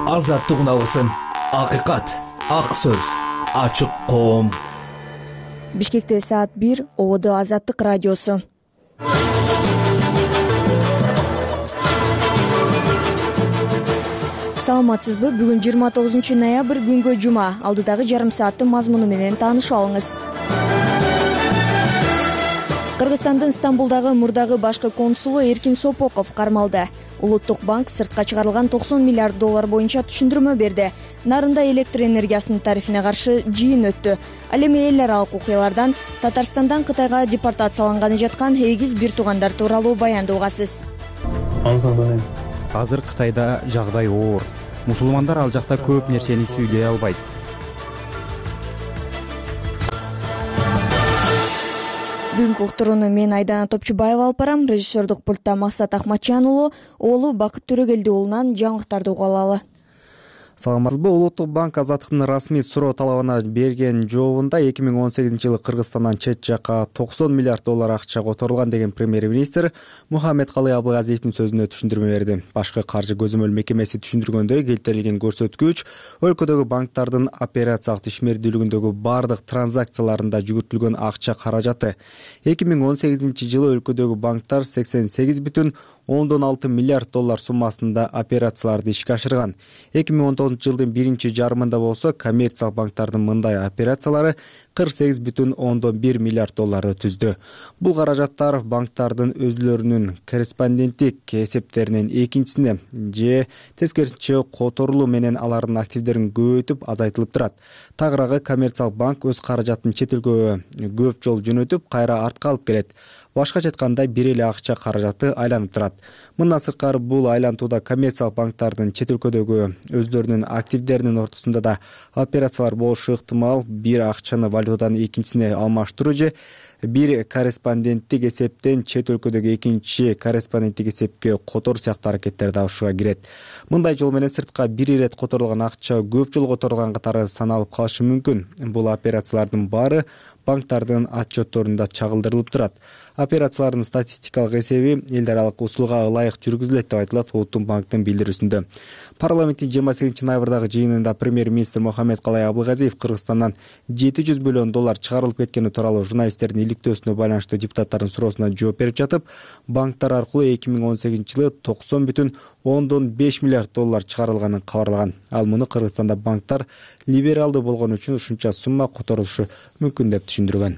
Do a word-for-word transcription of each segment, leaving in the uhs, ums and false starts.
азаттык уналысын, акыйкат, ак сөз, ачык коом. Бишкекте саат бир, Ободо Азаттык радиосу. Саламатсызбы? Бүгүн жыйырма тогузунчу ноябрь, күнгө жума. Алдыдагы жарым сааттын мазмуну менен таанышып алыңыз. Кыргызстандын Стамбулдагы мурдагы башкы консулу Эркин Сопоков кармалды. Улуттук банк сыртка чыгарылган токсон миллиард доллар боюнча түшүндүрмө берди. Нарында электр энергиясынын тарифине каршы жыйын өттү. Ал эми эл аралык окуялардан Татарстандан Кытайга депортацияланганы жаткан эгиз бир туугандар тууралуу баянды угасыз. Азыр Кытайда жагдай оор. Мусулмандар ал жакта көп нерсени сүйлөй албайт. Бүгүнкү уктурууну мен Айдана Топчубаева алып барам. Режиссердук пультта Максат Ахматжан уулу, уулу Бакыт Төрөгелди уулунан жаңылыктарды угуп алалы. Саламатсызбы? Улуттук банк Азаттыктын расмий суроо талабына берген жообунда эки миң он сегизинчи жылы Кыргызстандан чет жакка токсон миллиард доллар акча которулган деген премьер-министр Мухаммедкалый Абылгазиевдин сөзүнө түшүндүрмө берди. Башкы каржы көзөмөл мекемеси түшүндүргөндөй, келтирилген көрсөткүч өлкөдөгү банктардын операциялык ишмердүүлүгүндөгү бардык транзакцияларында жүгүртүлгөн акча каражаты. эки миң он сегизинчи жылы өлкөдөгү банктар сексен сегиз бүтүн ондон алты миллиард доллар суммасында операцияларды ишке ашырган. эки миң он тогузунчу жылдын биринчи жарымында болсо коммерциялык банктардын мындай операциялары кырк сегиз бүтүн ондон бир миллиард долларды түздү. Бул каражаттар банктардын өзүлөрүнүн корреспонденттик эсептеринен экинчисине же тескерисинче которулуу менен алардын активдерин көбөйтүп азайтылып турат. Тагыраагы коммерциялык банк өз каражатын чет өлкөгө көп жолу жөнөтүп, кайра артка алып келет. Башкача айтканда бир эле акча каражаты айланып турат. Мындан сырткары бул айлантууда коммерциялык банктардын чет өлкөдөгү өзлөрүнүн активдеринин ортосунда да операциялар болушу ыктымал. Бир акчаны валютадан экинчисине алмаштыруу же бир корреспонденттик эсептен чет өлкөдөгү экинчи корреспонденттик эсепке которуу сыяктуу аракеттер да ушуга кирет. Мындай жол менен сыртка бир ирет которулган акча көп жолу которулган катары саналып калышы мүмкүн. Бул операциялардын баары банктардын отчетторунда чагылдырылып турат. Операциялардын статистикалык эсеби эл аралык усулга ылайык жүргүзүлөт деп айтылат Улуттук банктын билдирүүсүндө. Парламенттин жыйырма сегизинчи ноябрдагы жыйынында премьер-министр Мухаммедкалый Абылгазиев Кыргызстандан жети жүз миллион доллар чыгарылып кеткени тууралуу журналисттердин иликтөөсүнө байланыштуу депутаттардын суроосуна жооп берип жатып, банктар аркылуу эки миң он сегизинчи жылы токсон бүтүн ондон беш миллиард доллар чыгарылганын кабарлаган. Ал муну Кыргызстанда банктар либералдуу болгон үчүн ушунча сумма которулушу мүмкүн деп түшүндүргөн.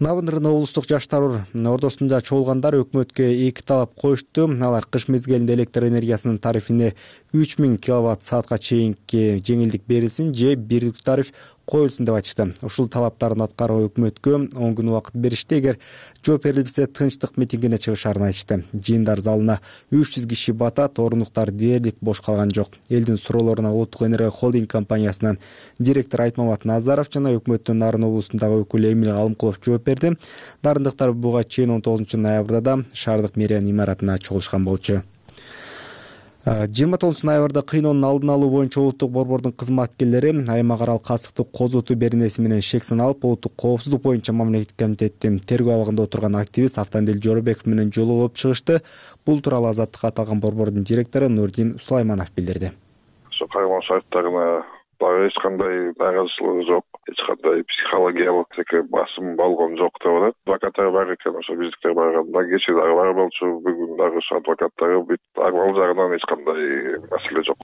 Навындырын облустук жаштар ордосунда чогулгандар өкмөткө эки талап коюшту. Алар кыш мезгилинде электр энергиясынын тарифине үч миң киловатт саатка чейинки жеңилдик берилсин же бирдик тариф коюлсун деп айтышты. Ушул талаптарын аткаруу өкмөткө он күн убакыт беришти. Эгер жооп берилбесе тынчтык митингине чыгышарын айтышты. Жыйындар залына үч жүз киши батат, орунуктар дээрлик бош калган жок. Элдин суроолоруна Улуттук энергия холдинг компаниясынын директору Айтмамат Назаров жана өкмөттүн Нарын облусундагы өкүлү Эмил Алымкулов жооп берди. Дарындыктар буга чейин он тогузунчу ноябрда да шаардык мэриянын имаратына чогулушкан болчу. жыйырма тогузунчу ноябрда кыйноонун алдын алуу боюнча улуттук борбордун кызматкерлери аймак аралык кастыктык козутуу беренеси менен шек саналып, улуттук коопсуздук боюнча мамлекеттик комитеттин тергөө абагында отурган активист Автандил Жоробеков менен жолугуп чыгышты. Бул тууралуу Азаттыкка аталган борбордун директору Нурдин Сулайманов билдирди. Ошо кайгылуу сайттарына дагы эч кандай нааразычылыгы жок, эч кандай психологиялык басым болгон жок деп атат. Адвокаттар бар экен, ошо биздиктер барганда кечээ дагы бар болчу, бүгүн дагы ошо адвокаттары бүт ал жагынан эч кандай маселе жок.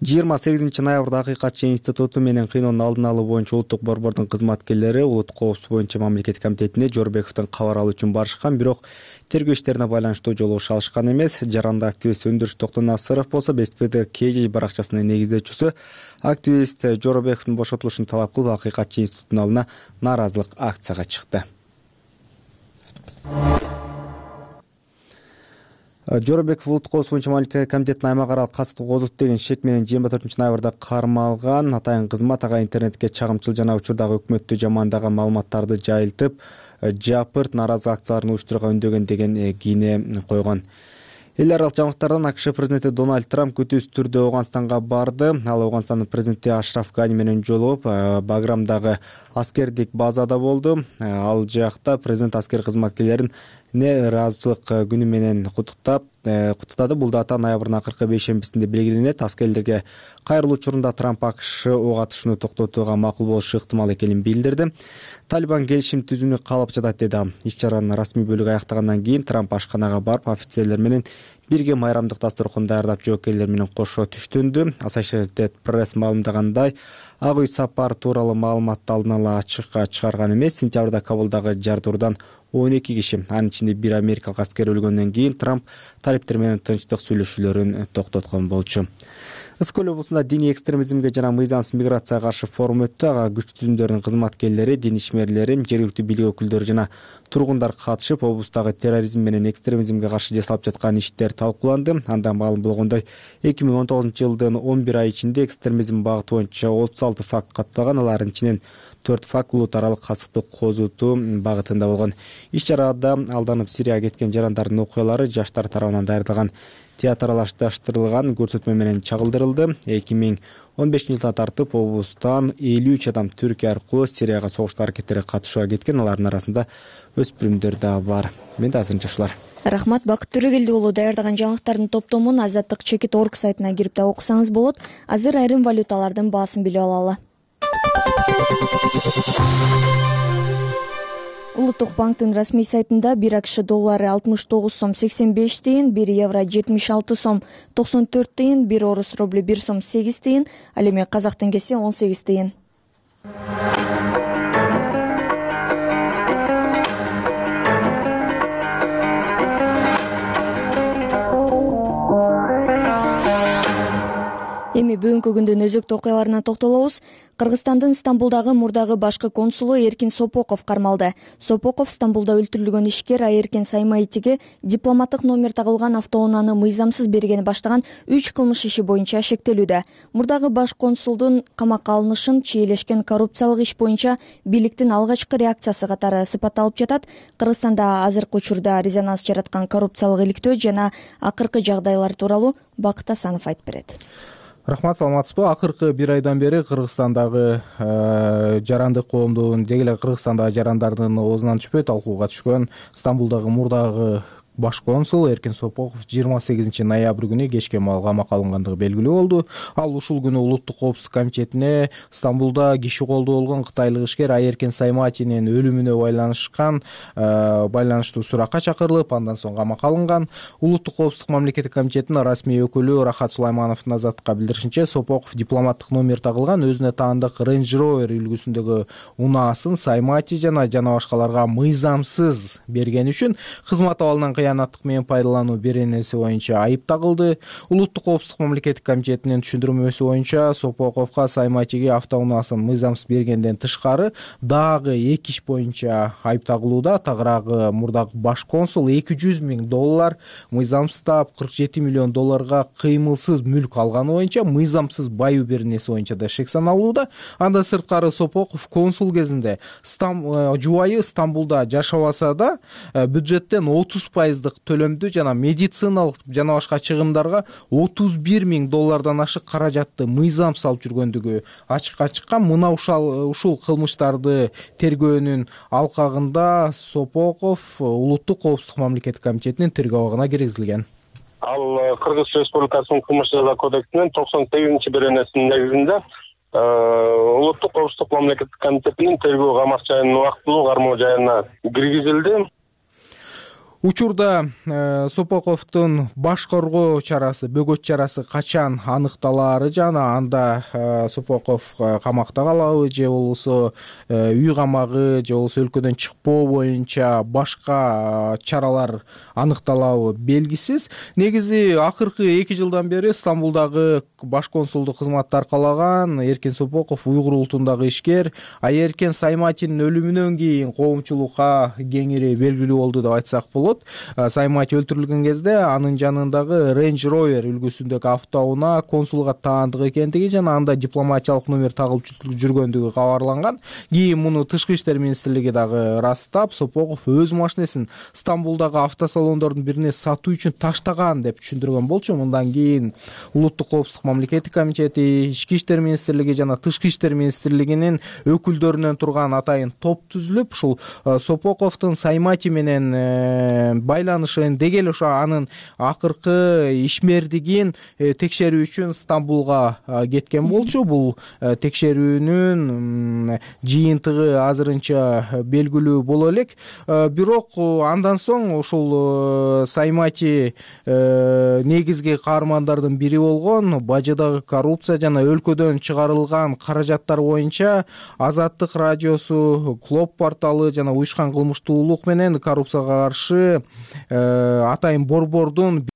жыйырма сегизинчи ноябрда Акыйкатчы институту менен кыйноонун алдын алуу боюнча улуттук борбордун кызматкерлери улуттук коопсуздук боюнча мамлекеттик комитетине Жоробековдун кабар алуу үчүн барышкан, бирок тергөө иштерине байланыштуу жолугуша алышкан эмес. Жаранды активист Өндүрүш Токтонасыров болсо Беспирде Кж баракчасынын негиздөөчүсү активист Жоробековдун бошотулушун талап кылып Акыйкатчы институтунун алдына нааразылык акцияга чыкты. Жоробеков улуттук коопсуздук боюнча мамлекеттик комитеттин аймак аралык кастыктык козуту деген шек менен жыйырма төртүнчү ноябрда кармалган. Атайын кызмат ага интернетке чагымчыл жана учурдагы өкмөттү жамандаган маалыматтарды жайылтып, жапырт нааразылык акцияларын уюштурууга үндөгөн деген кийине койгон. Эл аралык жаңылыктардан АКШ президенти Дональд Трамп күтүүсүз түрдө Ооганстанга барды. Ал Ооганстандын президенти Ашраф Гани менен жолугуп, Баграмдагы аскердик базада болду. Ал жакта президент аскер кызматкерлерин нааразычылык күнү менен куттуктап, куттады. Бул дата ноябрдын акыркы бейшембисинде белгиленет. Аскерлерге кайрылуу учурунда Трамп АКШ ок атышууну токтотууга макул болушу ыктымал экенин билдирди. Талибан келишим түзүүнү каалап жатат деди ал. Иш-чаранын расмий бөлүгү аяктагандан кийин Трамп ашканага барып офицерлер менен бирге майрамдык дасторкон даярдап жоокейлер менен кошо түштүндү. Associated Press маалымдагандай, Ак үй сапар тууралуу маалыматты алдын ала ачыкка чыгарган эмес. Сентябрда Кабулдагы жардыруудан он эки киши, анын ичинде бир америкалык аскер өлгөндөн кийин Трамп талиптер менен тынчтык сүйлөшүүлөрүн токтоткон болчу. Ысык-Көл облусунда диний экстремизмге жана мыйзамсыз миграцияга каршы форум өттү. Ага күч түзүмдөрдүн кызматкерлери, дин ишмерлери, жергиликтүү бийлик өкүлдөрү жана тургундар катышып, облустагы терроризм менен экстремизмге каршы жасалып жаткан иштер талкууланды. Анда маалым болгондой, эки миң он тогузунчу жылдын он бир ай ичинде экстремизм багыты боюнча отуз алты факт катталган. Алардын ичинен төрт факт улут аралык касыктык козутуу багытында болгон. Иш-чарада алданып Сирияга кеткен жарандардын окуялары жаштар тарабынан даярдалган театралаштырылган көрсөтмө менен чагылдырылды. эки миң он бешинчи жылдан тартып облустан элүү үч адам Түркия аркылуу Сирияга согуштуу аракеттерге катышууга кеткен. Алардын арасында өспүрүмдөр да бар. Менде азырынча ушулар. Рахмат, Бакыт Төрөгелди уулу. Даярдаган жаңылыктардын топтомун Азаттык чекит орг сайтына кирип да окусаңыз болот. Азыр айрым валюталардын баасын билип алалы. Улуттук банктын расмий сайтында бир АКШ доллары алтымыш тогуз сом сексен беш тыйын, бир евро жетимиш алты сом токсон төрт тыйын, бир орус рубль бир сом сегиз тыйын, ал эми казак теңгеси он сегиз тыйын. Эми бүгүнкү күндүн өзөктүү окуяларына токтолобуз. Кыргызстандын Стамбулдагы мурдагы башкы консулу Эркин Сопоков кармалды. Сопоков Стамбулда өлтүрүлгөн ишкер Айеркен Саймаитиге дипломаттык номер тагылган автоунааны мыйзамсыз бергени баштаган үч кылмыш иши боюнча шектелүүдө. Мурдагы баш консулдун камакка алынышын чийлешкен коррупциялык иш боюнча бийликтин алгачкы реакциясы катары сыпатталып жатат. Кыргызстанда азыркы учурда резонанс жараткан коррупциялык иликтөө жана акыркы жагдайлар тууралуу Бакыт Асанов айтып берет. Рахмат, саламатсызбы? Акыркы бир айдан бери Кыргызстандагы жарандык коомдун, деги эле Кыргызстандагы жарандардын оозунан түшпөй талкууга түшкөн Стамбулдагы мурдагы баш консул Эркин Сопоков жыйырма сегизинчи ноябрь күнү кечке маал камакка алынгандыгы белгилүү болду. Ал ушул күнү Улуттук коопсуздук комитетине Стамбулда киши колдоо болгон кытайлык ишкер Айеркен Саймаатинин өлүмүнө байланышкан байланыштуу суракка чакырылып, андан соң камакка алынган. Улуттук коопсуздук мамлекеттик комитетинин расмий өкүлү Рахат Сулаймановдун Азаттыкка билдиришинче, Сопоков дипломаттык номер тагылган өзүнө таандык Range Rover үлгүсүндөгү унаасын Саймаати жана жана башкаларга мыйзамсыз бергени үчүн кызмат абалынан кыянаттык менен пайдалануу беренеси боюнча айып тагылды. Улуттук коопсуздук мамлекеттик комитетинин түшүндүрмөсү боюнча Сопоковго Саймаатиге автоунаасын мыйзамсыз бергенден тышкары дагы эки иш боюнча айып тагылууда. Тагыраагы мурдагы баш консул эки жүз миң доллар мыйзамсыздап кырк жети миллион долларга кыймылсыз мүлк алганы боюнча мыйзамсыз баюу беренеси боюнча да шек саналууда. Андан сырткары Сопоков консул кезинде жубайы Стамбулда жашабаса да бюджеттен отуз пайыз төлөмдү жана медициналык жана башка чыгымдарга отуз бир миң доллардан ашык каражатты мыйзамсыз алып жүргөндүгү ачыкка чыккан. Мына ушул ушул кылмыштарды тергөөнүн алкагында Сопоков Улуттук коопсуздук мамлекеттик комитетинин тергөө абагына киргизилген. Ал Кыргыз Республикасынын кылмыш жаза кодексинин токсон сегизинчи беренесинин негизинде Улуттук коопсуздук мамлекеттик комитетинин тергөө камак жайынын убактылуу кармоо жайына киргизилди. Учурда э, Сопоковдун баш коргоо чарасы, бөгөт чарасы качан аныкталаары жана анда э, Сопоков э, камакта калабы же болбосо э, үй камагы же болбосо өлкөдөн чыкпоо боюнча башка э, чаралар аныкталабы белгисиз. Негизи акыркы эки жылдан бери Стамбулдагы баш консулдук кызматты аркалаган Эркин Сопоков уйгур улутундагы ишкер Айеркен Саймаатинин өлүмүнөн кийин коомчулукка кеңири белгилүү болду деп айтсак болот. Саймаати өлтүрүлгөн кезде анын жанындагы Range Rover үлгүсүндөгү автоунаа консулга таандык экендиги жана анда дипломатиялык номер тагылып жүргөндүгү кабарланган. Кийин муну Тышкы иштер министрлиги дагы ырастап, Сопоков өз машинесин Стамбулдагы автосалондордун бирине сатуу үчүн таштаган деп түшүндүргөн болчу. Мындан кийин Улуттук коопсуздук мамлекеттик комитети, Ички иштер министрлиги жана Тышкы иштер министрлигинин өкүлдөрүнөн турган атайын топ түзүлүп, ушул Сопоковдун Саймаати менен байланышын деги эле ошо анын акыркы ишмердигин текшерүү үчүн Стамбулга кеткен болчу. Бул текшерүүнүн жыйынтыгы азырынча белгилүү боло элек. Бирок андан соң ушул Саймати негизги каармандардын бири болгон бажыдагы коррупция жана өлкөдөн чыгарылган каражаттар боюнча Азаттык радиосу, Клоп порталы жана уюшкан кылмыштуулук менен коррупцияга каршы атайын борбордун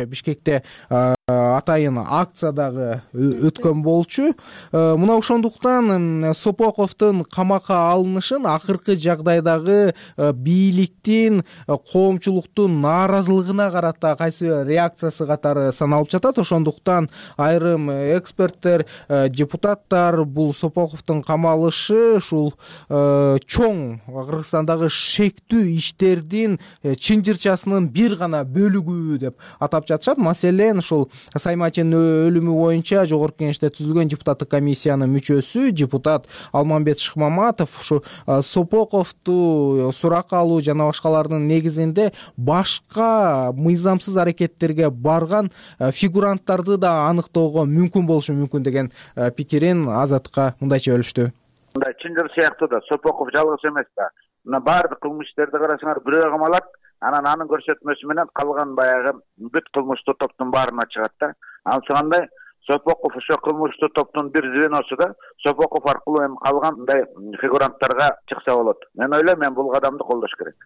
Бишкекте атайын акция дагы өткөн болчу. Мына ошондуктан Сопоковдун камакка алынышын акыркы жагдайдагы бийликтин коомчулуктун нааразылыгына карата кайсы реакциясы катары саналып жатат. Ошондуктан айрым эксперттер, депутаттар бул Сопоковдун камалышы ушул чоң Кыргызстандагы шектүү иштердин чынжырчасынын бир гана бөлүгү деп атап жатышат. Маселен, ушул Сайматинин өлүмү боюнча жогорку кеңеште түзүлгөн депутаттык комиссиянын мүчөсү депутат Алмамбет Шыкмаматов ушу Сопоковду суракка алуу жана башкалардын негизинде башка мыйзамсыз аракеттерге барган фигуранттарды да аныктоого мүмкүн болушу мүмкүн деген пикирин Азаттыкка мындайча бөлүштү. Мындай чынжыр сыяктуу да Сопоков жалгыз эмес да. Мына баардык кылмыш иштерди карасаңар бирөө камалат, анан анын көрсөтмөсү менен калган баягы бүт кылмыштуу топтун баарына чыгат да. Анысы кандай? Сопоков ошо кылмыштуу топтун бир звеносу да. Сопоков аркылуу эми калган мындай фигуранттарга чыкса болот. Мен ойлойм, мен бул кадамды колдош керек.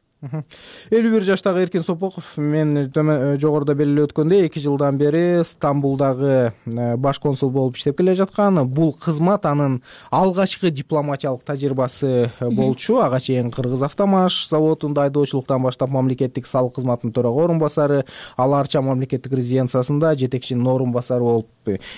элүү бир жаштагы Эркин Сопоков мен жогоруда белгилеп өткөндөй эки жылдан бери Стамбулдагы баш консул болуп иштеп келе жаткан. Бул кызмат анын алгачкы дипломатиялык тажрыйбасы болчу. Ага чейин Кыргызавтомаш заводунда айдоочулуктан баштап мамлекеттик салык кызматынын төрага орун басары, ал арча мамлекеттик резиденциясында жетекчинин орун басары болуп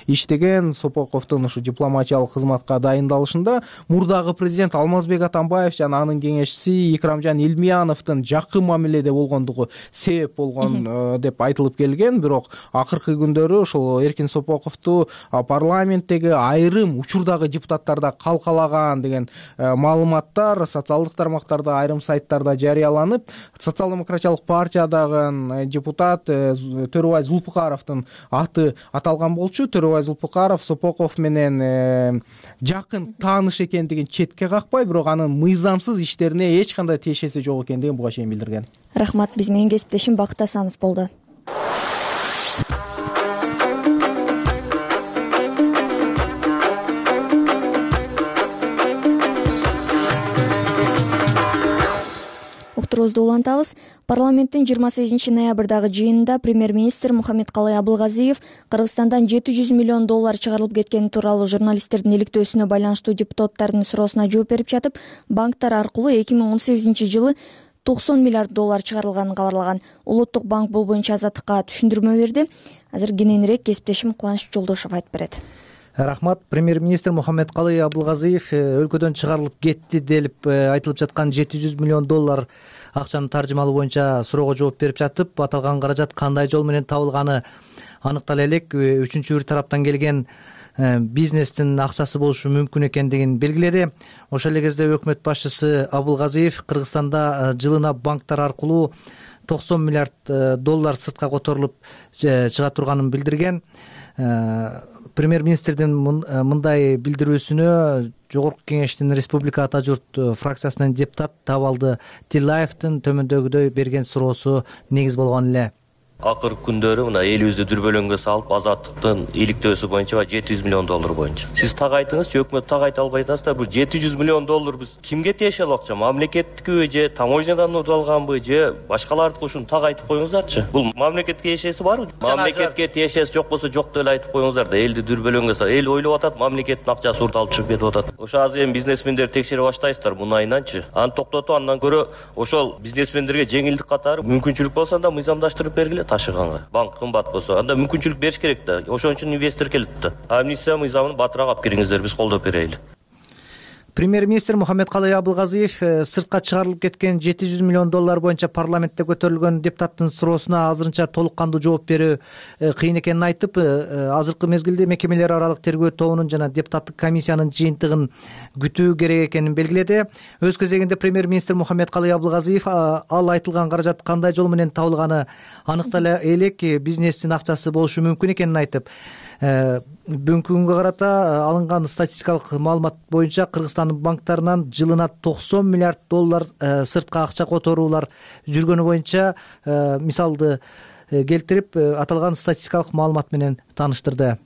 иштеген. Сопоковдун ушу дипломатиялык кызматка дайындалышында мурдагы президент Алмазбек Атамбаев жана анын кеңешчиси Икрамжан Илмияновдун жакын мамиледе болгондугу себеп болгон деп айтылып келген. Бирок акыркы күндөрү ошол Эркин Сопоковду парламенттеги айрым учурдагы депутаттарда калкалаган деген маалыматтар социалдык тармактарда, айрым сайттарда жарыяланып, социал-демократиялык партиядагы депутат Төрөбай Зулпукаровдун аты аталган болчу. Төрөбай Зулпукаров Сопоков менен жакын тааныш экендигин четке какпай, бирок анын мыйзамсыз иштерине эч кандай тиешеси жок экендигин буга чейин билдирген. Рахмат, биз менен кесиптешим Бакыт Асанов болду. Уктуруубузду улантабыз. Парламенттин жыйырма сегизинчи ноябрдагы жыйынында премьер-министр Мухаммедкалый Абылгазиев Кыргызстандан жети жүз миллион доллар чыгарылып кеткени тууралуу журналисттердин иликтөөсүнө байланыштуу депутаттардын суроосуна жооп берип жатып, банктар аркылуу эки миң он сегизинчи жылы токсон миллиард доллар чыгарылганын кабарлаган. Улуттук банк бул боюнча Азаттыкка түшүндүрмө берди. Азыр кененирээк кесиптешим Кубаныч Жолдошов айтып берет. Рахмат. Премьер-министр Мухаммедкалый Абылгазиев өлкөдөн чыгарылып кетти деп айтылып жаткан жети жүз миллион доллар акчанын таржымалоо боюнча суроого жооп берип жатып, аталган каражат кандай жол менен табылганы аныктала элек. Үчүнчү бир тараптан келген бизнестин акчасы болушу мүмкүн экендигин белгиледи. Ошол эле кезде өкмөт башчысы Абылгазиев Кыргызстанда жылына банктар аркылуу токсон миллиард доллар сыртка которулуп чыга турганын билдирген. Премьер-министрдин мындай билдирүүсүнө жогорку кеңештин республика ата журт фракциясынын депутат Табалды Тилаевдин төмөндөгүдөй берген суроосу негиз болгон эле. Акыркы күндөрү мына элибизди дүрбөлөңгө салып, Азаттыктын иликтөөсү боюнча жети жүз миллион доллар боюнча. Сиз так айтыңызчы, өкмөт так айта албай атасыздар. Бул жети жүз миллион доллар биз кимге тиешелүү акча? Мамлекеттикиби же таможнядан уталганбы же башкалардыкы? Ушуну так айтып коюңуздарчы. Бул мамлекетке тиешеси барбы? Мамлекетке тиешеси жок болсо жок деп эле айтып коюңуздар да. Элди дүрбөлөңгө салып, эл ойлоп атат, мамлекеттин акчасы урут алып чыгып кетип атат. Ошо азыр эми бизнесмендерди текшере баштайсыздар мунайынанчы. Аны токтотуп, андан көрө ошол бизнесмендерге жеңилдик катары мүмкүнчүлүк болсо да мыйзамдаштырып бергиле ташыганга. Банк кымбат болсо, анда мүмкүнчүлүк бериш керек да. Ошон үчүн инвестор келет да. Амнистия мыйзамын батыраак алып кириңиздер, биз колдоп берели. Премьер-министр Мухаммедкалый Абылгазиев сыртка чыгарылып кеткен жети жүз миллион доллар боюнча парламентте көтөрүлгөн депутаттын суроосуна азырынча толук кандуу жооп берүү кыйын экенин айтып, азыркы мезгилде мекемелер аралык тергөө тобунун жана депутаттык комиссиянын жыйынтыгын күтүү керек экенин белгиледи. Өз кезегинде премьер-министр Мухаммедкалый Абылгазиев ал айтылган каражат кандай жол менен табылганы аныктала элек, бизнестин акчасы болушу мүмкүн экенин айтып, бүгүнкү күнгө карата алынган статистикалык маалымат боюнча Кыргызстандын банктарынан жылына токсон миллиард доллар сыртка акча которуулар жүргөнү боюнча мисалды келтирип, аталган статистикалык маалымат менен тааныштырды.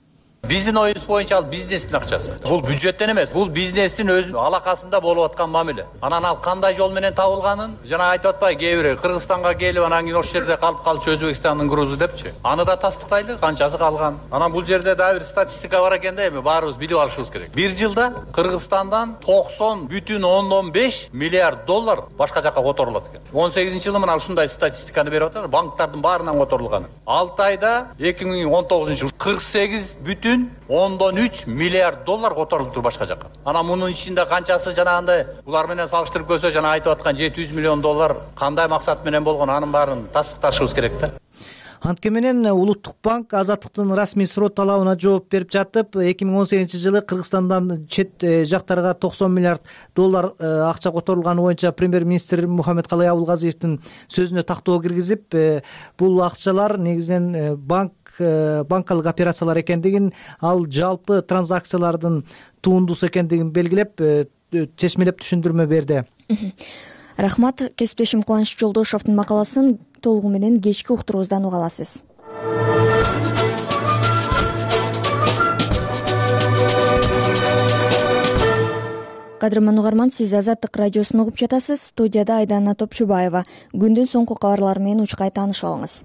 Биздин оюбуз боюнча ал бизнестин акчасы. Бул бюджеттен эмес, бул бизнестин өз алакасында болуп аткан мамиле. Анан ал кандай жол менен табылганын жана айтып атпайбы, кээ бири Кыргызстанга келип анан кийин ошол жерде калып калчу Өзбекстандын грузу депчи. Аны да тастыктайлы, канчасы калган. Анан бул жерде дагы бир статистика бар экен да, эми баарыбыз билип алышыбыз керек. Бир жылда Кыргызстандан токсон бүтүн ондон беш миллиард доллар башка жака которулат экен. он сегизинчи жылы мына ушундай статистиканы берип атат, банктардын баарынан которулган. алты айда эки миң он тогузунчу жыл кырк сегиз бүтүн ондон үч миллиард доллар которулуптур башка жака. Анан мунун ичинде канчасы жанагындай булар менен салыштырып көрсө, жана айтып аткан жети жүз миллион доллар кандай максат менен болгон, анын баарын тастыкташыбыз керек да. Антке менен Улуттук банк Азаттыктын расмий суроо талабына жооп берип жатып, эки миң он сегизинчи жылы Кыргызстандан чет жактарга токсон миллиард доллар акча которулганы боюнча премьер-министр Мухаммедкалый Абылгазиевдин сөзүнө тактоо киргизип, бул акчалар негизинен банк банкалык операциялар экендигин, ал жалпы транзакциялардын тундусу экендигин белгилеп, чечмелеп түшүндүрмө берди. Рахмат. Кесиптешим Кубаныч Жолдошовдун макаласын толугу менен кечки уктуруубуздан уга аласыз. Кадырман угарман, сиз Азаттык радиосун угуп жатасыз. Студияда Айдана Топчубаева. Күндүн соңку кабарлары менен учкай таанышып алыңыз.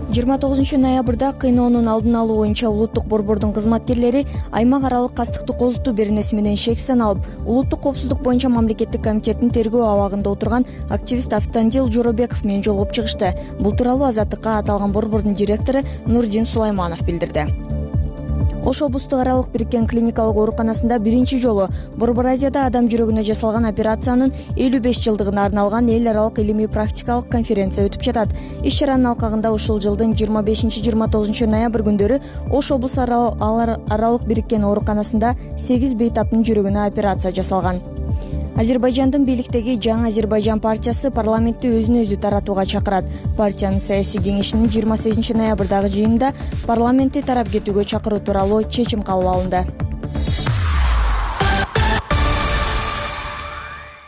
жыйырма тогузунчу ноябрда кыйноонун алдын алуу боюнча улуттук борбордун кызматкерлери аймак аралык кастыкты козутуу беренеси менен шек саналып, улуттук коопсуздук боюнча мамлекеттик комитеттин тергөө абагында отурган активист Автандил Жоробеков менен жолугуп чыгышты. Бул тууралуу Азаттыкка аталган борбордун директору Нурдин Сулайманов билдирди. Ош облустук аралык бириккен клиникалык ооруканасында биринчи жолу Борбор Азияда адам жүрөгүнө жасалган операциянын элүү беш жылдыгына арналган эл аралык илимий практикалык конференция өтүп жатат. Иш чаранын алкагында ушул жылдын жыйырма бешинчи жыйырма тогузунчу ноябрь күндөрү Ош облусу аралык бириккен ооруканасында сегиз бейтаптын жүрөгүнө операция жасалган. Азербайжандын бийликтеги Жаңы Азербайжан партиясы парламентти өзүнө өзү таратууга чакырат. Партиянын саясий кеңешинин жыйырма сегизинчи ноябрдагы жыйынында парламентти тарап кетүүгө чакыруу тууралуу чечим кабыл алынды.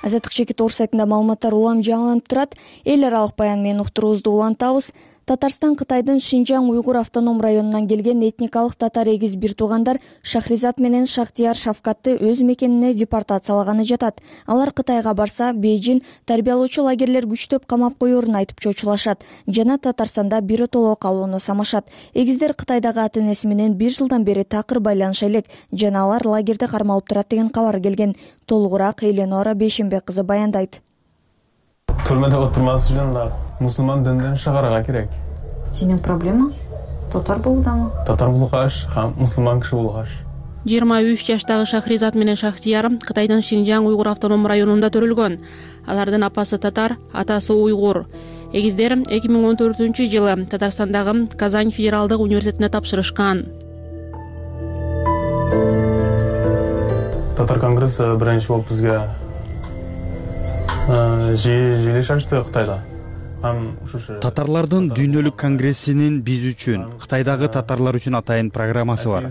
Азаттык чекит орус сайтында маалыматтар улам жаңыланып турат. Эл аралык баян менен уктуруубузду улантабыз. Татарстан Кытайдын Шинжаң уйгур автоном районунан келген этникалык татар эгиз бир туугандар Шахризат менен Шахтияр Шавкатты өз мекенине депортациялаганы жатат. Алар Кытайга барса, Бейжин тарбиялоочу лагерлер күчтөп камап коерун айтып чочулашат жана Татарстанда биротоло калууну самашат. Эгиздер Кытайдагы ата-энеси менен бир жылдан бери такыр байланыша элек жана алар лагерде кармалып турат деген кабар келген. Толугураак Эленора Бейшембек кызы баяндайт. Түрмөдө отурмас үчүн да мусулман динден чыгарга керек. Сенин проблема татар болуудамы? Татар болгаш, һәм мусулман киши болгаш. жыйырма үч жаштагы Шахризат менен Шахтияр Кытайдын Шинжаң уйгур автоном районунда төрөлгөн. Алардын апасы татар, атасы уйгур. Эгиздер эки миң он төртүнчү жылы Татарстандагы Казань федералдык университетине тапшырышкан. Татар конгресси биринчи болуп бизге жыйылыш ачты Кытайда. Татарлардын дүйнөлүк конгрессинин биз үчүн, Кытайдагы татарлар үчүн атайын программасы бар.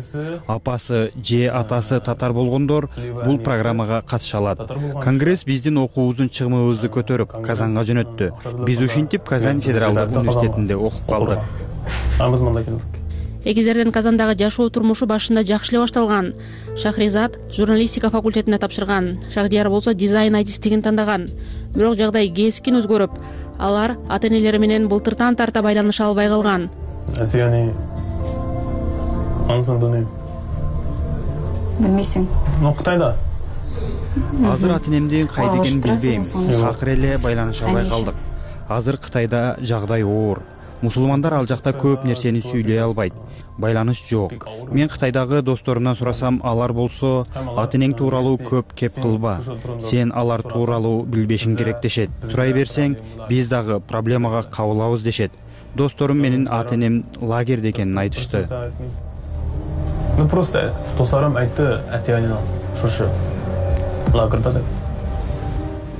Апасы же атасы татар болгондор бул программага катыша алат. Конгресс биздин окуубуздун чыгымыбызды көтөрүп Казанга жөнөттү. Биз ушинтип Казань федералдык университетинде окуп калдык. Эгиздердин Казандагы жашоо турмушу башында жакшы эле башталган. Шахризат журналистика факультетине тапшырган. Шахдияр болсо дизайн адистигин тандаган. Бирок жагдай кескин өзгөрүп, алар ата-энелери менен былтыртан тарта байланыша албай калган. Атияни ансың дөнөй. Билмейсиң. Ну, Кытайда. Азыр ата-энемдин кайда экенин билбейм. Акыр эле байланыша албай калдык. Азыр Кытайда жагдай оор. Мусулмандар ал жакта көп нерсени сүйлөй албайт. байланыш жок. Мен Кытайдагы досторумдан сурасам, алар болсо ата энең тууралуу көп кеп кылба, сен алар тууралуу билбешиң керек дешет. Сурай берсең, биз дагы проблемага кабылабыз дешет. Досторум менин ата энем лагерде экенин айтышты. Ну просто досторум айтты, ата-энем шушу лагерда деп.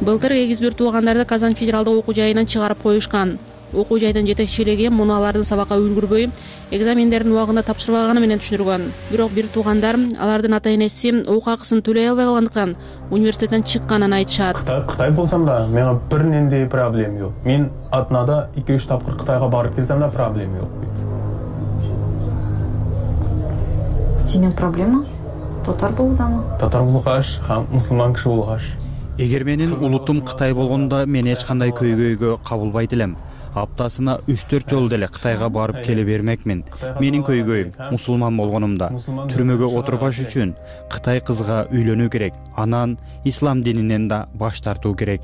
Былтыр эгиз бир туугандарды Казан федералдык окуу жайынан чыгарып коюшкан. Окуу жайдын жетекчилиги муну алардын сабакка үлгүрбөй, экзамендердин убагында тапшырбаганы менен түшүнүргөн. Бирок бир туугандар алардын ата-энеси окуу акысын төлөй албай калгандыктан университеттен чыкканын айтышат. Кытай Кытай болсам да, менин бир нендей проблем жок. Мен атнада эки үч тапкыр Кытайга барып келсем да проблем жок. Сенин проблема татар болуудамы? Татар болгоч, һәм мусулман киши болгоч. Эгер менин улутум Кытай болгондо мен эч кандай көйгөйгө кабылбайт элем. Аптасына үч төрт жолу деле Кытайга барып келе бермекмин. Менин көйгөйүм мусулман болгонумда түрмөгө отурбаш үчүн Кытай кызга үйлөнүү керек, анан ислам дининен да баш тартуу керек.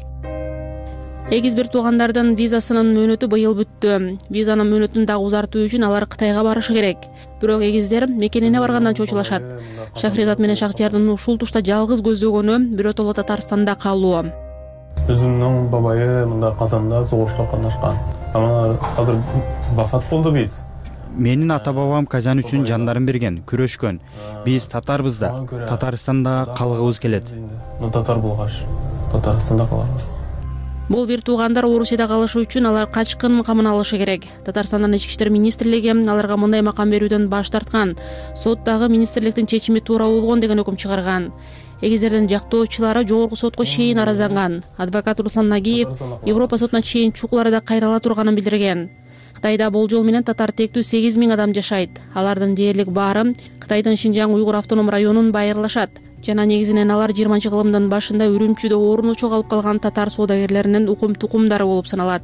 Эгиз бир туугандардын визасынын мөөнөтү быйыл бүттү. Визанын мөөнөтүн дагы узартуу үчүн алар Кытайга барышы керек. Бирок эгиздер мекенине баргандан чочулашат. Шахризат менен Шахтиярдын ушул тушта жалгыз көздөгөнү биротоло Татарстанда калуу. Өзүмдүн бабайы мында Казанда согушка катнашкан. Ама азыр вафат болду биз. Менин ата-бабам Казан үчүн жандарын берген, күрөшкөн. Биз татарбыз да, Татарстанда калгыбыз келет. Ну татар болгоч, Татарстанда калабыз. Бул бир туугандар Орусияда калышы үчүн алар качкын камын алышы керек. Татарстандын ички иштер министрлиги аларга мындай макам берүүдөн баш тарткан. Соттагы министрликтин чечими туура болгон деген өкүм чыгарган. Эгиздердин жактоочулары жогорку сотко чейин аразланган. Адвокат Руслан Нагиев Европа сотуна чейин чукуларда кайрыла турганын билдирген. Кытайда болжол менен татар тектүү сегиз миң адам жашайт. Алардын дээрлик баары Кытайдын Шинжаң уйгур автоном районун байырлашат. Жана негизинен алар жыйырманчы кылымдын башында Үрүмчүдө орнучу калып калган татар соодагерлеринин укум-тукумдары болуп саналат.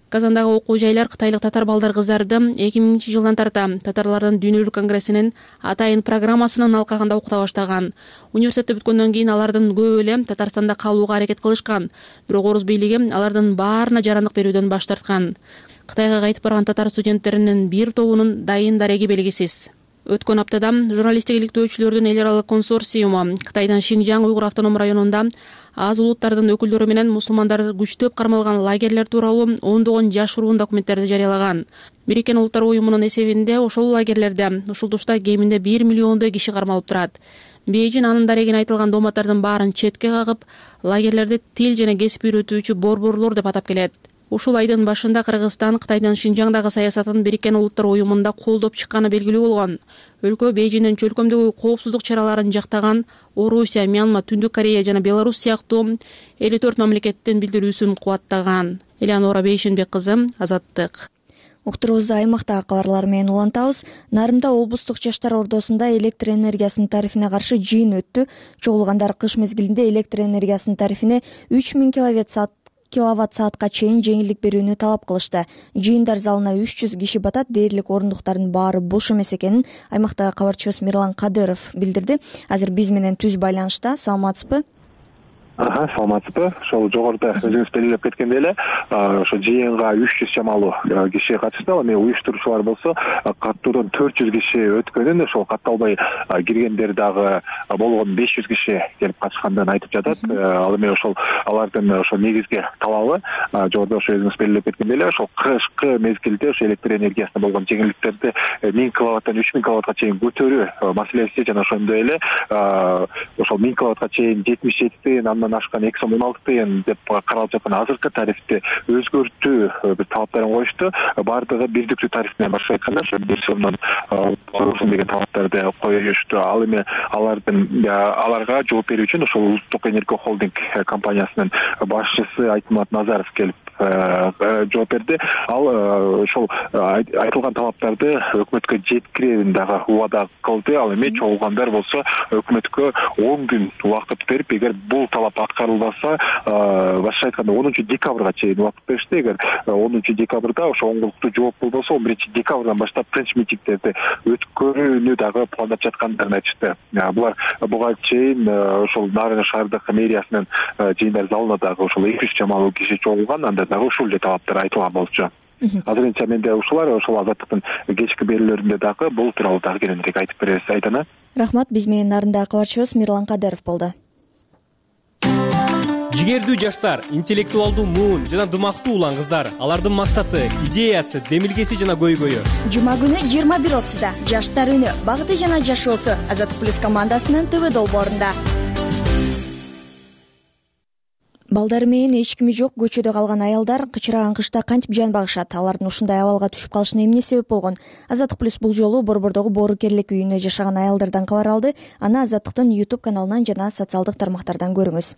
Казандагы окуу жайлар кытайлык татар балдар кыздарды эки миңинчи жылдан тарта татарлардын дүйнөлүк конгрессинин атайын программасынын алкагында окута баштаган. Университетти бүткөндөн кийин алардын көбү эле Татарстанда калууга аракет кылышкан. Бирок Орус бийлиги алардын баарына жарандык берүүдөн баш тарткан. Кытайга кайтып барган татар студенттеринин бир тобунун дайын дареги белгисиз. Өткөн аптада журналисттик иликтөөчүлөрдүн эл аралык консорциуму Кытайдын Шинжаң уйгур автоном районунда аз улуттардын өкүлдөрү менен мусулмандар күчтөп кармалган лагерлер тууралуу ондогон жашыруун документтерди жарыялаган. Бириккен Улуттар уюмунун эсебинде ошол лагерлерде ушул тушта кеминде бир миллиондой киши кармалып турат. Бейжин анын дарегине айтылган дооматтардын баарын четке кагып, лагерлерди тил жана кесип үйрөтүүчү борборлор деп атап келет. Ушул айдын башында Кыргызстан Кытайдын Шинжаңдагы саясатын Бириккен Улуттар уюмунда колдоп чыкканы белгилүү болгон. Өлкө Бейжиндин чөлкөмдөгү коопсуздук чараларын жактаган Орусия, Мьянма, Түндүк Корея жана Беларусь сыяктуу элүү төрт мамлекеттин билдирүүсүн кубаттаган. Элеонора Бейшенбек кызы, Азаттык. Уктурубузду аймактагы кабарлар менен улантабыз. Нарында облустук жаштар ордосунда электр энергиясынын тарифине каршы жыйын өттү. Чогулгандар кыш мезгилинде электр энергиясынын тарифине үч миң киловатт саат киловатт саатка чейин жеңилдик берүүнү талап кылышты. Жыйындар залына үч жүз киши батат. Дээрлик орундуктардын баары бош эмес экенин аймактагы кабарчыбыз Мирлан Кадыров билдирди. Азыр биз менен түз байланышта. Саламатсызбы? Ага, саламатсызбы. Ошол жогоруда өзүңүз белгилеп кеткендей эле, ошо жыйынга үч жүз чамалуу киши катышты. Ал эми уюштуруучулар болсо каттоодон төрт жүз киши өткөнүн, ошол катталбай киргендер дагы болгон беш жүз киши келип катышкандыгын айтып жатат. Ал эми ошол алардын ошо негизги талабы жогоруда ошо өзүңүз белгилеп кеткендей эле, ошол кышкы мезгилде ошо электр энергиясына болгон жеңилдиктерди миң киловаттан үч миң киловаттка чейин көтөрүү маселеси жана ошондой эле ошол миң киловаттка чейин жетимиш жети тыйын, андан ашкан эки сом он алты тыйын деп каралып жаткан азыркы тарифти өзгөртүү бир талаптарын коюшту. Бардыгы бирдиктүү тариф менен башка айтканда ошо бир сомдон болсун деген талаптарды коюшту. Ал эми алардын аларга жооп берүү үчүн ошол Улуттук энергия холдинг компаниясынын башчысы Айтмат Назаров келип жооп берди. Ал ошол айтылган талаптарды өкмөткө жеткирүүнү дагы убада кылды. Ал эми чогулгандар болсо өкмөткө он күн убакыт берип, эгер бул талап аткарылбаса, башкача айтканда онунчу декабрга чейин убакыт беришти. Эгер онунчу декабрда ошо оңголуктуу жооп болбосо, он биринчи декабрдан баштап тынч митингдерди өткөрүүнү дагы пландап жаткандарын айтышты. Булар буга чейин ошол Нарын шаардык мэриясынын жыйындар залына дагы ошол эки жүз чамалуу киши чогулган, анда дагы ушул эле талаптар айтылган болчу. азырынча менде ушулар ошол азаттыктын кечки берүүлөрүндө дагы бул тууралуу дагы кененирээк айтып беребиз. Айдана. Рахмат. Биз менен нарындагы кабарчыбыз Мирлан Кадыров болду. Жигердүү жаштар, интеллектуалдуу муун жана дымактуу улан кыздар. Алардын максаты, идеясы, демилгеси жана көйгөйү. Жума күнү жыйырма бир отузда Жаштар үнү, багыты жана жашоосу Азаттык плюс командасынын ТВ долбоорунда. Балдары менен эч кими жок көчөдө калган аялдар кычыраган кышта кантип жан багышат? Алардын ушундай абалга түшүп калышына эмне себеп болгон? Азаттык плюс бул жолу Борбордогу боорукерлик үйүнө жашаган аялдардан кабар алды. Аны Азаттыктын YouTube каналынан жана социалдык тармактардан көрүңүз.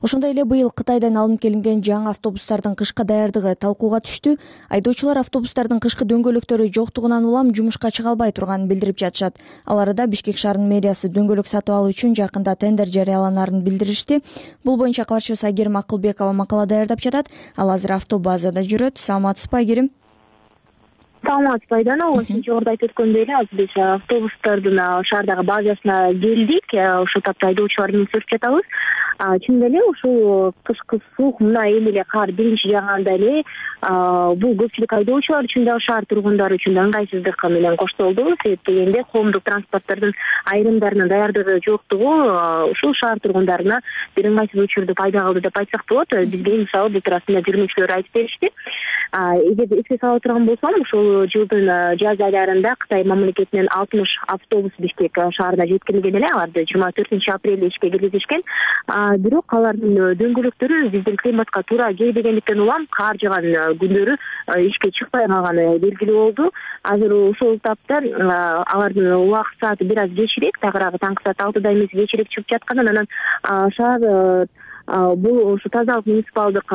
Ошондой эле быйыл Кытайдан алынып келинген жаңы автобустардын кышка даярдыгы талкууга түштү. Айдоочулар автобустардын кышкы дөңгөлөктөрү жоктугунан улам жумушка чыга албай турганын билдирип жатышат. Ал арада Бишкек шаарынын мэриясы дөңгөлөк сатып алуу үчүн жакында тендер жарыяланаарын билдиришти. Бул боюнча кабарчыбыз Айгерим Акылбекова макала даярдап жатат. Ал азыр автобазада жүрөт. Саламатсызбы, Айгерим? Саламатсызбы, Айдана. Ошончо жогоруда айтып өткөндөй эле азыр биз автобустардын шаардагы базасына келдик. Ошол тапта айдоочулар менен сүрүп жатабыз. Чынында эле ушул кышкы суук мына эми эле кар биринчи жааганда эле бул көпчүлүк айдоочулар үчүн дагы шаар тургундары үчүн да ыңгайсыздык менен коштолду. Себеп дегенде коомдук транспорттордун айрымдарынын даярдыгы жоктугу ушул шаар тургундарына бир ыңгайсыздык пайда кылды деп айтсак болот. Бизге мисалы бул туурасында жүргүнчүлөр айтып беришти. Эгер эске сала турган болсом, ушул жылдын жаз айларында Кытай мамлекетинен алтымыш автобус Бишкек шаарына жеткирилген эле. Аларды жыйырма төртүнчү апрелде ишке киргизишкен. Бирок алардын дөңгөлөктөрү биздин климатка туура келбегендиктен улам кар жааган күндөрү ишке чыкпай калганы белгилүү болду. Азыр ошол таптан алардын убакыт сааты бир аз кечирээк, тагыраагы таңкы саат алтыда эмес кечирээк чыгып жатканын, анан шаар бул ушу тазалык муниципалдык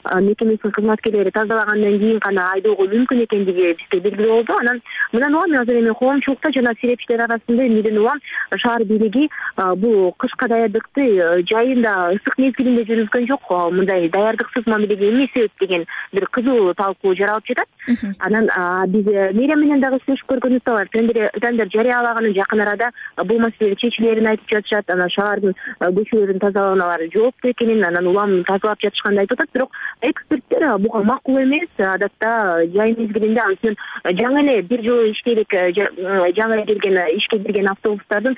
мекемесинин кызматкерлери тазалагандан кийин гана айдоого мүмкүн экендиги бизге белгилүү болду. Анан мындан улам азыр эми коомчулукта жана серепчилер арасында эмнеден улам шаар бийлиги бул кышка даярдыкты жайында ысык мезгилинде жүргүзгөн жок, мындай даярдыксыз мамилеге эмне себеп деген бир кызуу талкуу жаралып жатат. Анан биз мэрия менен дагы сүйлөшүп көргөнүбүздө бар. Тендер жарыялаганын жакын арада бул маселе чечилерин айтып жатышат. Анан шаардын көчөлөрүн тазаланалары жооптуу экенин, анан улам тазалап жатышканын айтып атат. Бирок эксперттер буга макул эмес. Адатта жай мезгилинде анткени жаңы эле бир жолу иштелик жаңы келген ишке кирген автобустардын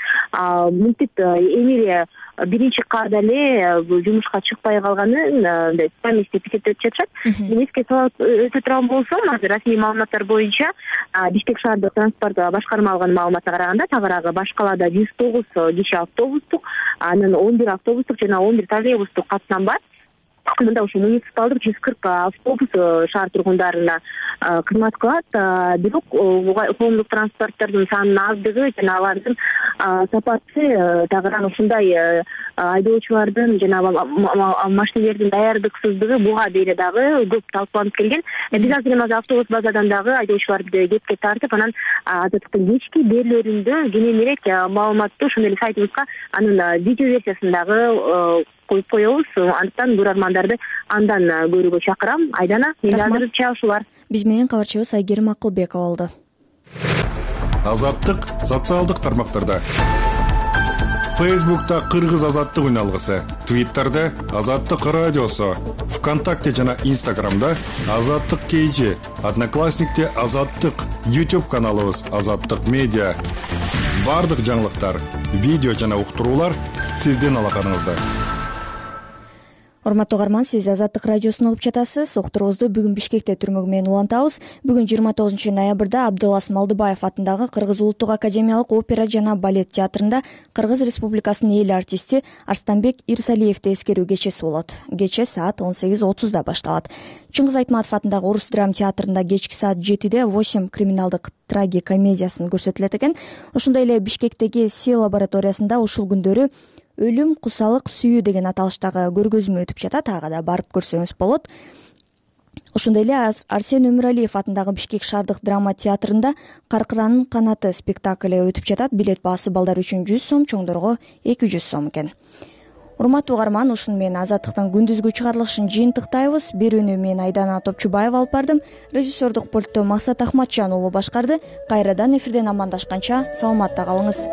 мынтип эми эле биринчи карда эле жумушка чыкпай калганын комиссия эсептеп жатышат. Мен эске салып өтө турган болсом, азыр расмий маалыматтар боюнча Бишкек шаардык транспорт башкарма алган маалыматка караганда тагыраагы баш калаада жүз тогуз киши автобустук, анан он бир автобустук жана он бир троллейбустук катнам бар. Мында ушу муниципалдык жүз кырк автобус шаар тургундарына кызмат кылат. Бирок коомдук транспорттордун санынын аздыгы жана алардын сапаты тагыраагы ушундай айдоочулардын жана машинелердин даярдыксыздыгы буга дейре дагы көп талкууланып келген. Биз азыр эми автобус базадан дагы айдоочуларды кепке тартып, анан Азаттыктын кечки берүүлөрүндө кененирээк маалыматты ошондой эле сайтыбызга анын видео версиясын дагы коюп коебуз. Андыктан көрөрмандарды андан көрүүгө чакырам. Айдана, мен азырынча ушулар. Биз менен кабарчыбыз Айгерим Акылбекова болду. Азаттык социалдык тармактарда. Фейсбукта Кыргыз азаттык үналгысы, Твиттерде Азаттык радиосу, ВКонтакте жана Инстаграмда Азаттык кейжи, Одноклассникте Азаттык, YouTube каналыбыз Азаттык медиа. Бардык жаңылыктар, видео жана уктуруулар сиздин алаканыңызда. Урматтуу угарман, сиз Азаттык радиосун угуп жатасыз. Уктуруубузду бүгүн Бишкекте түрмөгү менен улантабыз. Бүгүн жыйырма тогузунчу ноябрда Абдылас Малдыбаев атындагы Кыргыз улуттук академиялык опера жана балет театрында Кыргыз Республикасынын эл артисти Арстанбек Ирсалиевди эскерүү кечеси болот. Кече саат он сегиз отузда башталат. Чыңгыз Айтматов атындагы Орус драма театрында кечки саат жетиде восемь криминалдык трагикомедиясын көрсөтүлөт экен. Ошондой эле Бишкектеги Си лабораториясында ушул күндөрү Өлүм, кусалык, сүйүү деген аталыштагы көргөзмө өтүп жатат. Ага да барып көрсөңүз болот. Ошондой эле Арсен Өмүралиев атындагы Бишкек шаардык драма театрында Каркыранын канаты спектакли өтүп жатат. Билет баасы балдар үчүн жүз сом, чоңдорго эки жүз сом экен. Урматтуу угарман, ушуну менен Азаттыктын күндүзгү чыгарылышын жыйынтыктайбыз. Берүүнү мен Айдана Топчубаева алып бардым. Режиссердук пультту Максат Ахматжан уулу башкарды. Кайрадан эфирден амандашканча саламатта калыңыз.